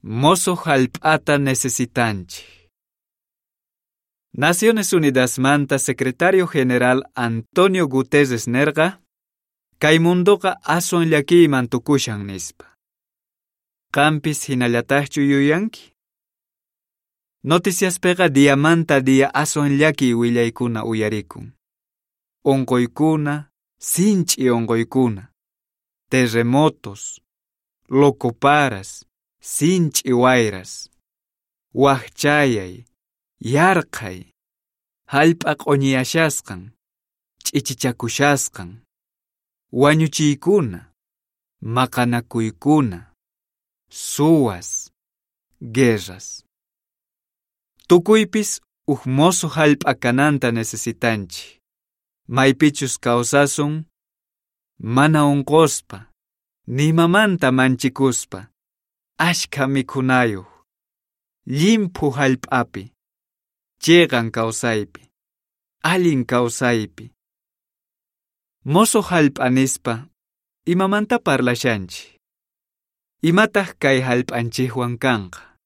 Mosuq hallp'ata necesitanchik. Naciones Unidasmanta secretario general Antonio Guterres nerqa, kay mundoqa aswan llakiyman tukushan nispa. Qampis hinallataqchu yuyanki? Noticiaspiqa diamanta dia aswan llakiy willaykuna uyarikun. Unquykuna, sinch'i unquykuna, terremotos, locoparas, sinch'i wayras, waqchayay, yarqhay, hallp'a q'uñiyashasqan, ch'ichichakushasqan, wañuchiykuna, maqanakuykuna, suwas, guerras. Tukuypis uj mosuq hallp'a kananta necesitanchik. Maypichus kawsasun, mana unquspa, nimamanta manchikuspa, ashkha mikhunayuq, llimphu hallp'api, chiqan kawsaypi, allin kawsaypi. Mosuq hallp'a nispa, imamanta parlashanchik? Imataq kay hallp'anchikwan kanqa?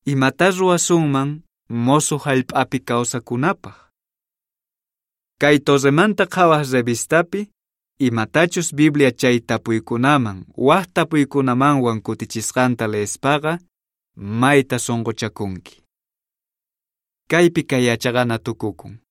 Imata ruwasunman mosuq hallp'api kawsakunapaq? Kay Torremanta Qhawaq revistapi imatachus Biblia chay tapuykunaman waq tapuykunamanwan kutichisqanta leespaqa mayta sunquchakunki. Kaypi kay yachaqana tukukun.